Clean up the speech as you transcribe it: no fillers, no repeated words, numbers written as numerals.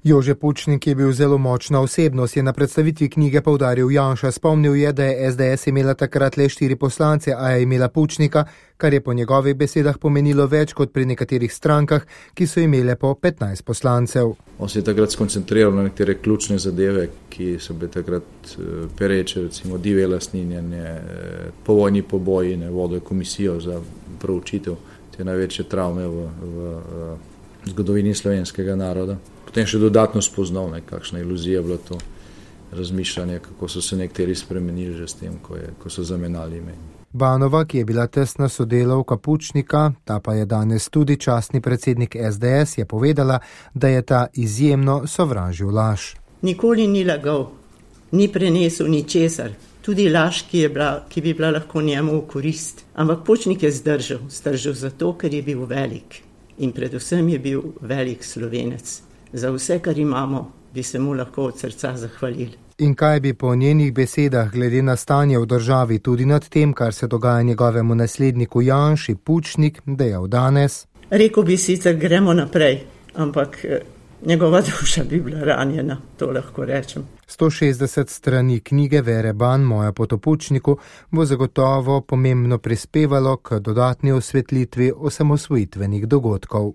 Jože Pučnik je bil zelo močna osebnost, je na predstavitvi knjige poudaril Janša. Spomnil je, da je SDS imela takrat le 4 poslance, a je imela Pučnika, kar je po njegovih besedah pomenilo več kot pri nekaterih strankah, ki so imele po 15 poslancev. On se je takrat skoncentriral na nekatere ključne zadeve, ki so bile takrat pereče, recimo divje lastninjenje, povojni poboji, vodil komisijo za proučitev te največje travme v zgodovini slovenskega naroda. Potem še dodatno spoznal, kakšna iluzija bila to razmišljanje, kako so se nekateri spremenili že s tem, ko so zamenjali ime. Banova, ki je bila tesna sodelavka Pučnika, ta pa je danes tudi častni predsednik SDS, je povedala, da je ta izjemno sovražil laž. Nikoli ni lagal, ni prenesel ničesar, tudi laž, ki bi bila lahko njemu v korist. Ampak Pučnik je zdržal zato, ker je bil velik in predvsem je bil velik Slovenec. Za vse, kar imamo, bi se mu lahko od srca zahvalili. In kaj bi po njenih besedah glede na stanje v državi tudi nad tem, kar se dogaja njegovemu nasledniku Janši, Pučnik, dejal danes? Rekel bi sicer, gremo naprej, ampak njegova duša bi bila ranjena, to lahko rečem. 160 strani knjige Vere Ban, Moja pot o Pučniku, bo zagotovo pomembno prispevalo k dodatni osvetlitvi osamosvojitvenih dogodkov.